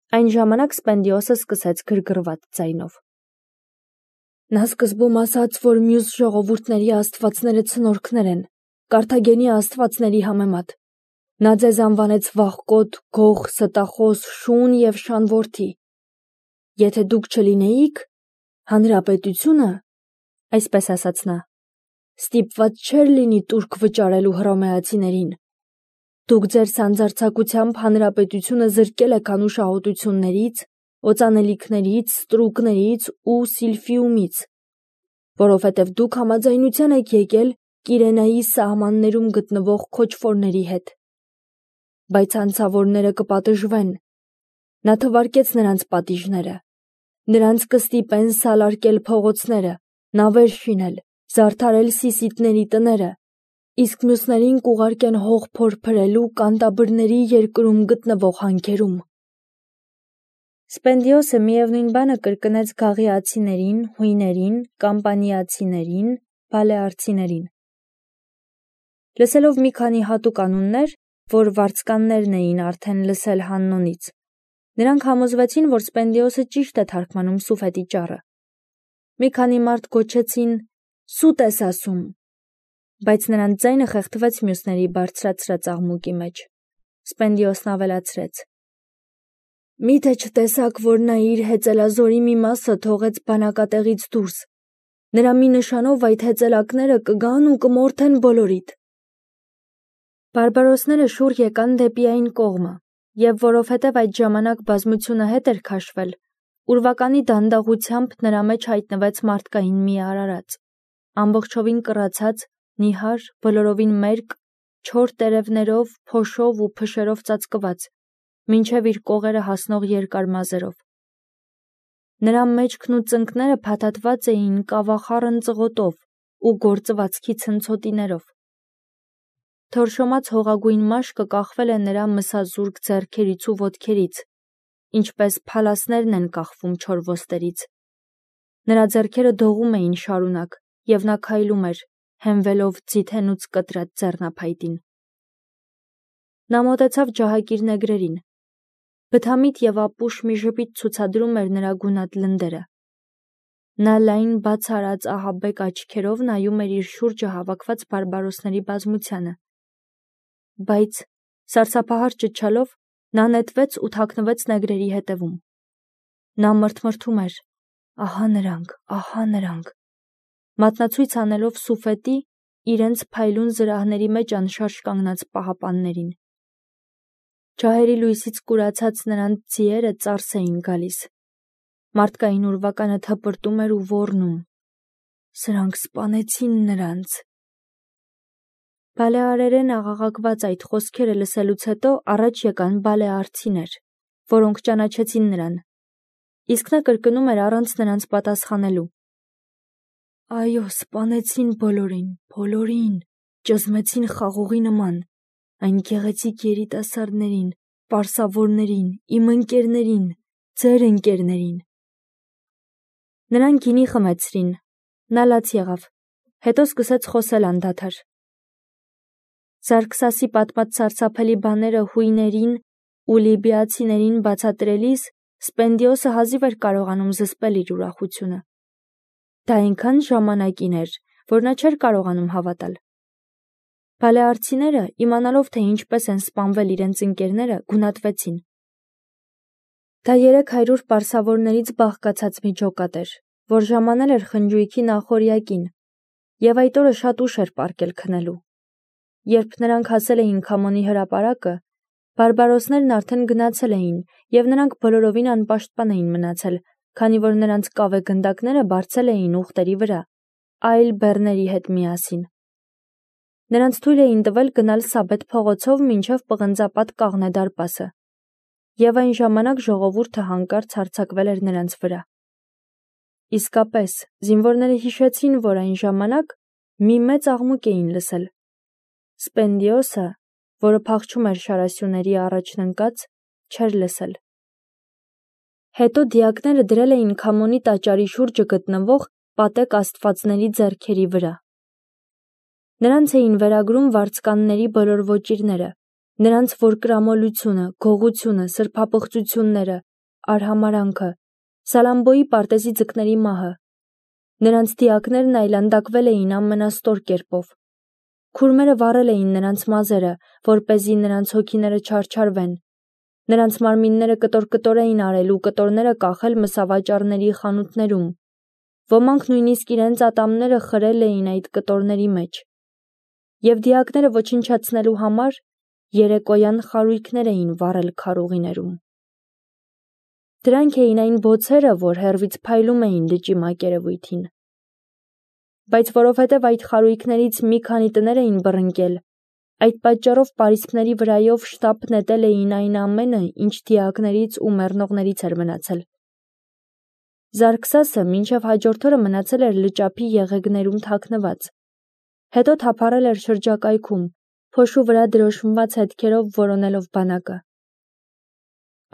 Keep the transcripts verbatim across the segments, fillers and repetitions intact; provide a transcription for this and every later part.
Այն ժամանակ Սպենդիոսը սկսեց գրգռված ձայնով. Նա սկզբում ասաց, որ մյուս ժողովուրդների աստվածները ցնորքներ են, Կարթագենի աստվածների համեմատ։ Նա ձեզ անվանեց վախկոտ, գող, ստախոս, շուն և շանորդի։ Եթե դուք չլինեիք, հանրապետությունը, այսպես ասաց նա, ստիպված չէր լինի տուրք վճարելու հռոմեացիներին։ Դուք ձեր սանձարձակությամբ հանրապետությունը զրկել եք անուշահոտություններից, օծանելիքներից, ստրուկներից ու Սիլֆիումից, որովհետև դուք համաձայնության եք եկել Կիրենայի սահմաններում գտնվող քոչվորների հետ։ Բայց անցավորները կպատժվեն։ Նա թվարկեց նրանց պատիժները։ Նրանց կստիպեն սալարկել փողոցները, նավեր շինել, զարդարել Սիսիդների տները, իսկ մյուսներին կուղարկեն հող փորփրելու կանտաբրների երկրում գտնվող հանքերում։ Սպենդիոսը միևնույն բանը կրկնեց գաղիացիներին, հույներին, կամպանիացիներին, բալեարցիներին։ Լսելով մի քանի հատուկ անուններ, որ վարձկաններն էին արդեն լսել Հաննոնից, նրանք համոզվեցին, որ Սպենդիոսը ճիշտ է թարգմանում Սուֆետի ճառը։ Մի քանի մարդ գոչեցին. «Սուտ ես ասում», բայց նրանց ձայնը խեղդվեց մյուսների բարձրացրած աղմուկի մեջ։ Սպենդիոսն ավելացրեց. «Մի՞թե չտեսաք, որ նա իր հեծելազորի մի մասը թողեց բանակատեղից դուրս։ Նրա մի նշանով այդ հեծելակները կգան ու կմորթեն բոլորիդ»։ Բարբարոսները շուռ եկան դեպի այն կողմը, և որովհետև այդ ժամանակ բազմությունը հետ էր քաշվել, ուրվականի դանդաղությամբ նրա մեջ հայտնվեց մարդկային մի արարած, ամբողջովին կռացած, նիհար, բոլորովին մերկ, չոր տերևներով, փոշով ու փշերով ծածկված, մինչև իր կողերը հասնող երկար մազերով։ Նրա մեջքն ու ծնկները փաթաթված էին կավախառն ծղոտով ու գործվածքի ցնցոտիներով։ Թորշոմած հողագույն մաշկը կախվել է նրա մսազուրկ ձեռքերից ու ոտքերից, ինչպես փալասներն են կախվում չոր ոստերից։ Նրա ձեռքերը դողում էին շարունակ, և նա քայլում էր, հենվելով ձիթենուց կտրած ձեռնափայտին։ Նա մոտեցավ ջահակիր նեգրերին։ Բթամիտ և ապուշ մի ժպիտ ցուցադրում էր նրա գունատ լնդերը։ Նա լայն բաց արած ահաբեկ աչքերով նայում էր իր շուրջը հավաքված բարբարոսների բազմությանը։ Բայց, սարսափահար ճչալով, նա նետվեց ու թաքնվեց նեգրերի հետևում։ Նա մռթմռթում էր. ահա նրանք, ահա նրանք, մատնացույց անելով Սուֆետի, իրենց փայլուն զրահների մեջ անշարժ կանգնած պահապաններին։ Ջահերի լույսից կուրացած նրանց ձիերը ծարս էին գալիս։ Մարդկային ուրվականը թպրտում էր ու ոռնում. «Սրանք սպանեցին նրանց»։ Բալեարերեն աղաղակված այդ խոսքերը լսելուց հետո առաջ եկան բալեարցիներ, որոնք ճանաչեցին նրան, իսկ նա կրկնում էր առանց նրանց պատասխանելու. «Այո, սպանեցին բոլորին, բոլորին, ճզմեցին խաղողի նման, այն գեղեցիկ երիտասարդներին, պարսավորներին, իմ ընկերներին, ձեր ընկերներին»։ Նրան գինի խմեցրին, նա լաց եղավ, հետո սկսեց խոսել անդադար։ Զարկսասի պատմած սարսափելի բաները հույներին ու լիբիացիներին բացատրելիս Սպենդիոսը հազիվ էր կարողանում զսպել իր ուրախությունը։ Դա այնքան ժամանակին էր, որ նա չէր կարողանում հավատալ։ Բալեարցիները, իմանալով, թե ինչպես են սպանվել իրենց ընկերները, գունատվեցին։ Դա երեք հարյուր պարսավորներից բաղկացած մի ջոկատ էր, որ ժամանել էր խնջույքի նախօրյակին, և այդ օրը շատ ուշ էր պառկել քնելու։ Երբ նրանք հասել էին Քամոնի հրապարակը, բարբարոսներն արդեն գնացել էին, և նրանք բոլորովին անպաշտպան էին մնացել, քանի որ նրանց կավե գնդակները բարձել էին ուղտերի վրա, այլ բեռների հետ միասին։ Նրանց թույլ էին տվել գնալ Սաբեթ փողոցով մինչև պղնձապատ Կաղնե դարպասը, և այն ժամանակ ժողովուրդը հանկարծ հարձակվել էր նրանց վրա։ Իսկապես, զինվորները հիշեցին, որ այն ժամանակ մի մեծ աղմուկ էին լսել։ Սպենդիոսը, որը փախչում էր շարասյուների առաջն ընկած, չէր լսել։ Հետո դիակները դրել էին Քամոնի տաճարի շուրջը գտնվող պատեկ աստվածների ձեռքերի վրա։ Նրանց էին վերագրում վարձկանների բոլոր ոճիրները, նրանց որկրամոլությունը, գողությունը, սրբապղծությունները, արհամարանքը, Սալամբոյի պարտեզի ձկների մահը։ Նրանց դիակներն այլանդակվել էին ամենաստոր կերպով։ Քուրմերը վառել էին նրանց մազերը, որպեսզի նրանց հոգիները չարչարվեն։ Նրանց մարմինները կտոր-կտոր էին արել ու կտորները կախել մսավաճառների խանութներում։ Ոմանք նույնիսկ իրենց ատամները խրել էին այդ կտորների մեջ։ Եվ դիակները ոչնչացնելու համար երեկոյան խարույկներ էին վառել քարուղիներում։ Դրանք էին այն բոցերը, որ հեռվից փայլում էին լճի մակերևույթին։ Բայց որովհետև այդ խարույկներից մի քանի տներ էին բռնկել, այդ պատճառով պարիսպների վրայով շտապ նետել էին այն ամենը, ինչ դիակներից ու մեռնողներից էր մնացել։ Զարգսասը մինչև հաջորդ օրը մնացել էր լճափի եղեգներում թաքնված։ Հետո թափառել էր շրջակայքում, փոշու վրա դրոշմված հետքերով որոնելով բանակը։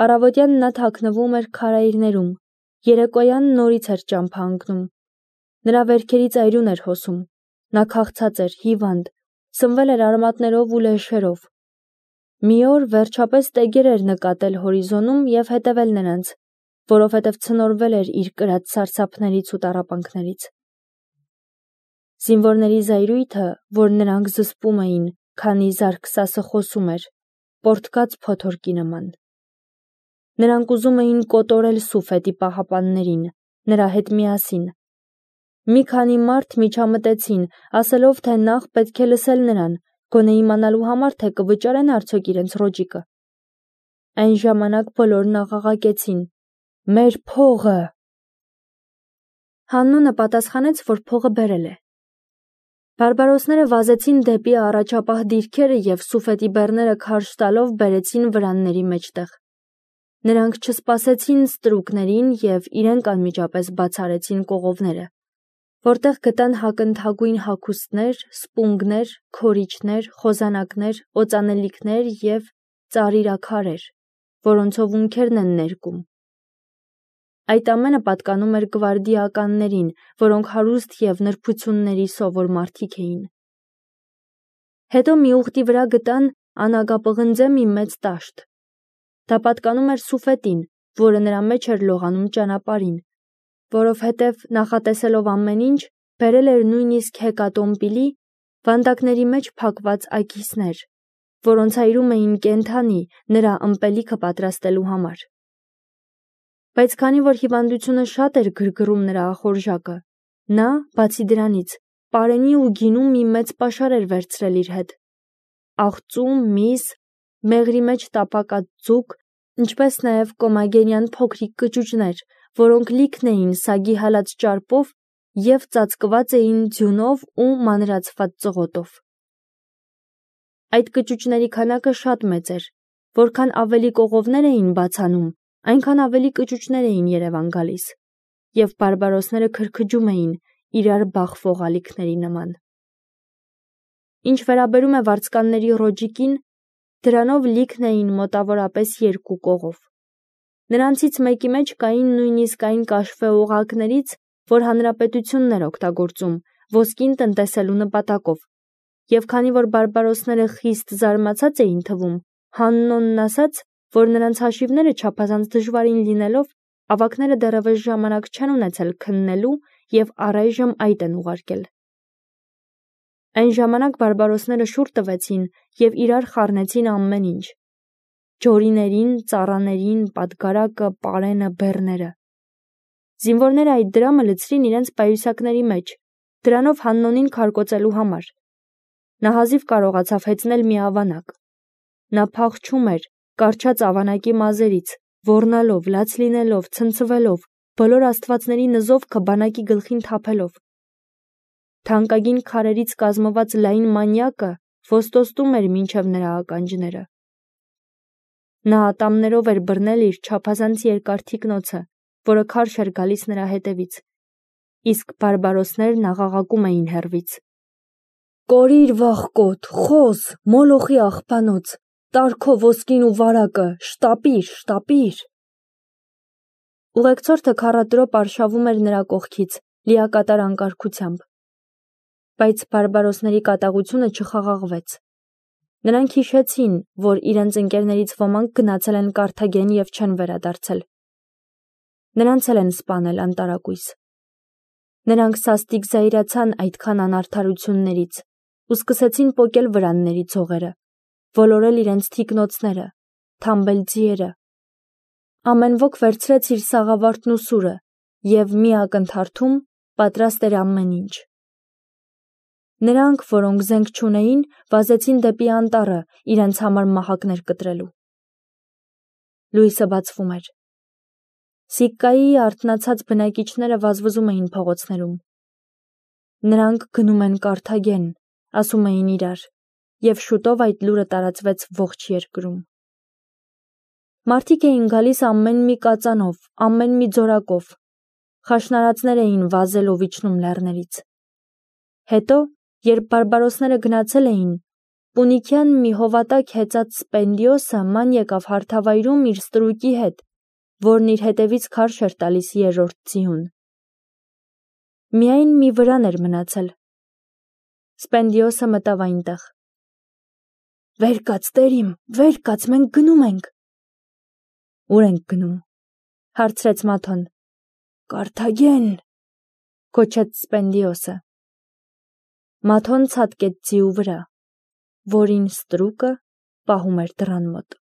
Առավոտյան նա թաքնվում էր քարայրներում, երեկոյան նորից էր ճամփա ընկնում։ Նրա վերքերից այրուն էր հոսում, նա քաղցած էր, հիվանդ, սնվել էր արմատներով ու լեշերով։ Մի օր վերջապես տեգեր էր նկատել հորիզոնում և հետևել նրանց, որովհետև ցնորվել էր իր կրած սարսափներից ու տառապանքներից։ Զինվորների զայրույթը, որ նրանք զսպում էին, քանի Զարգսասը խոսում էր, պոռթկաց փոթորկի նման։ Նրանք ուզում էին կոտորել Սուֆետի պահապաններին, նրա հետ միասին։ Մի քանի մարդ միջամտեցին, ասելով, թե նախ պետք է լսել նրան, գոնե իմանալու համար, թե կվճարեն արդյոք իրենց ռոճիկը։ Այն ժամանակ բոլորն աղաղակեցին. «Մեր փողը»։ Հաննոնը պատասխանեց, որ փողը բերել է։ Բարբարոսները վազեցին դեպի առաջապահ դիրքերը և Սուֆետի բեռները քարշ տալով բերեցին վրանների մեջտեղ։ Նրանք չսպասեցին ստրուկներին և իրենք անմիջապես բաց արեցին կողովները, որտեղ գտան հակընթագույն հագուստներ, սպունգներ, քորիչներ, խոզանակներ, օծանելիքներ և ծարիրաքարեր, որոնցով ունքերն են ներկում։ Այդ ամենը պատկանում էր գվարդիականներին, որոնք հարուստ և նրբությունների սովոր մարդիկ էին։ Հետո մի ուղտի վրա գտան անագապղնձե մի մեծ տաշտ։ Դա պատկանում էր Սուֆետին, որը նրա մեջ էր լողանում ճանապարհին, որովհետև նախատեսելով ամեն ինչ, բերել էր նույնիսկ հեկատոմպիլի վանդակների մեջ փակված աքիսներ, որոնց այրում էին կենդանի նրա ըմպելիքը պատրաստելու համար։ Բայց քանի որ հիվանդությունը շատ էր գրգռում նրա ախորժակը, նա, բացի դրանից, պարենի ու գինու մի մեծ պաշար էր վերցրել իր հետ։ Աղծու, միս, մեղրի մեջ տապակած ձուկ, ինչպես նաև կոմագենյան փոքրիկ կճուճներ, որոնք լիքն էին սագի հալած ճարպով և ծածկված էին ձյունով ու մանրացված ծղոտով։ Այդ կճուճների քանակը շատ մեծ էր, որքան ավելի կողովներ էին բացանում, այնքան ավելի կճուճներ էին երևան գալիս, և բարբարոսները քրքջում էին իրար բախվող ալիքների նման։ Ինչ վերաբերում է վարձկանների ռոճիկին, դրանով լիքն էին մոտավորապես երկու կողով։ Նրանցից մեկի մեջ կային նույնիսկ այն կաշվե օղակներից, որ հանրապետությունն էր օգտագործում ոսկին տնտեսելու նպատակով, և քանի որ բարբարոսները խիստ զարմացած էին թվում, Հաննոնն ասաց, որ նրանց հաշիվները չափազանց դժվարին լինելով, ավագները դեռևս ժամանակ չեն ունեցել քննելու և առայժմ այդ են ուղարկել։ Այն ժամանակ բարբարոսները շուռ տվեցին և իրար խառնեցին ամեն ինչ. ջորիներին, ծառաներին, պատգարակը, պարենը, բեռները։ Զինվորները այդ դրամը լցրին իրենց պայուսակների մեջ, դրանով Հաննոնին քարկոծելու համար։ Նա հազիվ կարողացավ հեծնել մի ավանակ։ Նա փախչում էր, կառչած ավանակի մազերից, ոռնալով, լաց լինելով, ցնցվելով, բոլոր աստվածների նզովքը բանակի գլխին թափելով։ Թանկագին քարերից կազմված լայն մանյակը ոստոստում էր մինչև նրա ականջները։ Նա ատամներով էր բռնել իր չափազանց երկար թիկնոցը, որը քարշ էր գալիս նրա հետևից, իսկ բարբարոսներն աղաղակում էին հեռվից. «Կորիր վախկոտ, խոզ, մոլոխի աղբանոց, տար քո ոսկին ու վարակը, շտապիր, շտապիր»։ Ուղեկցորդը քառատրոպ արշավում էր նրա կողքից, լիակատար անկարգությամբ։ Բայց բարբարոսների կատաղությունը չխաղաղվեց։ Նրանք հիշեցին, որ իրենց ընկերներից ոմանք գնացել են Կարթագեն և չեն վերադարձել։ Նրանց էլ են սպանել անտարակույս։ Նրանք սաստիկ զայրացան այդքան անարդարություններից ու սկսեցին պոկել վրանների ցողերը, ոլորել իրենց թիկնոցները, թամբել ձիերը։ Ամեն ոք վերցրեց իր սաղավարտն ու սուրը և մի ակնթարթում պատրաստ էր ամեն ինչ։ Նրանք, որոնք զենք չունեին, վազեցին դեպի անտառը իրենց համար մահակներ կտրելու։ Լույսը բացվում էր։ Սիկկայի արթնացած բնակիչները վազվզում էին փողոցներում։ Նրանք գնում են Կարթագեն, ասում էին իրար, և շուտով այդ լուրը տարածվեց ողջ երկրում։ Մարդիկ էին գալիս ամեն մի կածանով, ամեն մի ձորակով։ Խաշնարածներ էին վազելով իջնում լեռներից։ Հետո, երբ բարբարոսները գնացել էին, պունիկյան մի հովատակ հեծած Սպենդիոսը ման եկավ հարթավայրում իր ստրուկի հետ, որն իր հետևից քարշ էր տալիս երրորդ ձիուն։ Միայն մի վրան էր մնացել։ Սպենդիոսը մտավ այնտեղ։ «Վեր կաց, տերիմ, վեր կաց, մենք գնում ենք»։ «Ուր ենք գնում»։ Հարցրեց Մաթոն։ «Կարթագեն», գոչեց Սպենդիոսը։ Մաթոն ցատկեց ձիու վրա, որին ստրուկը պահում էր դռան մոտ։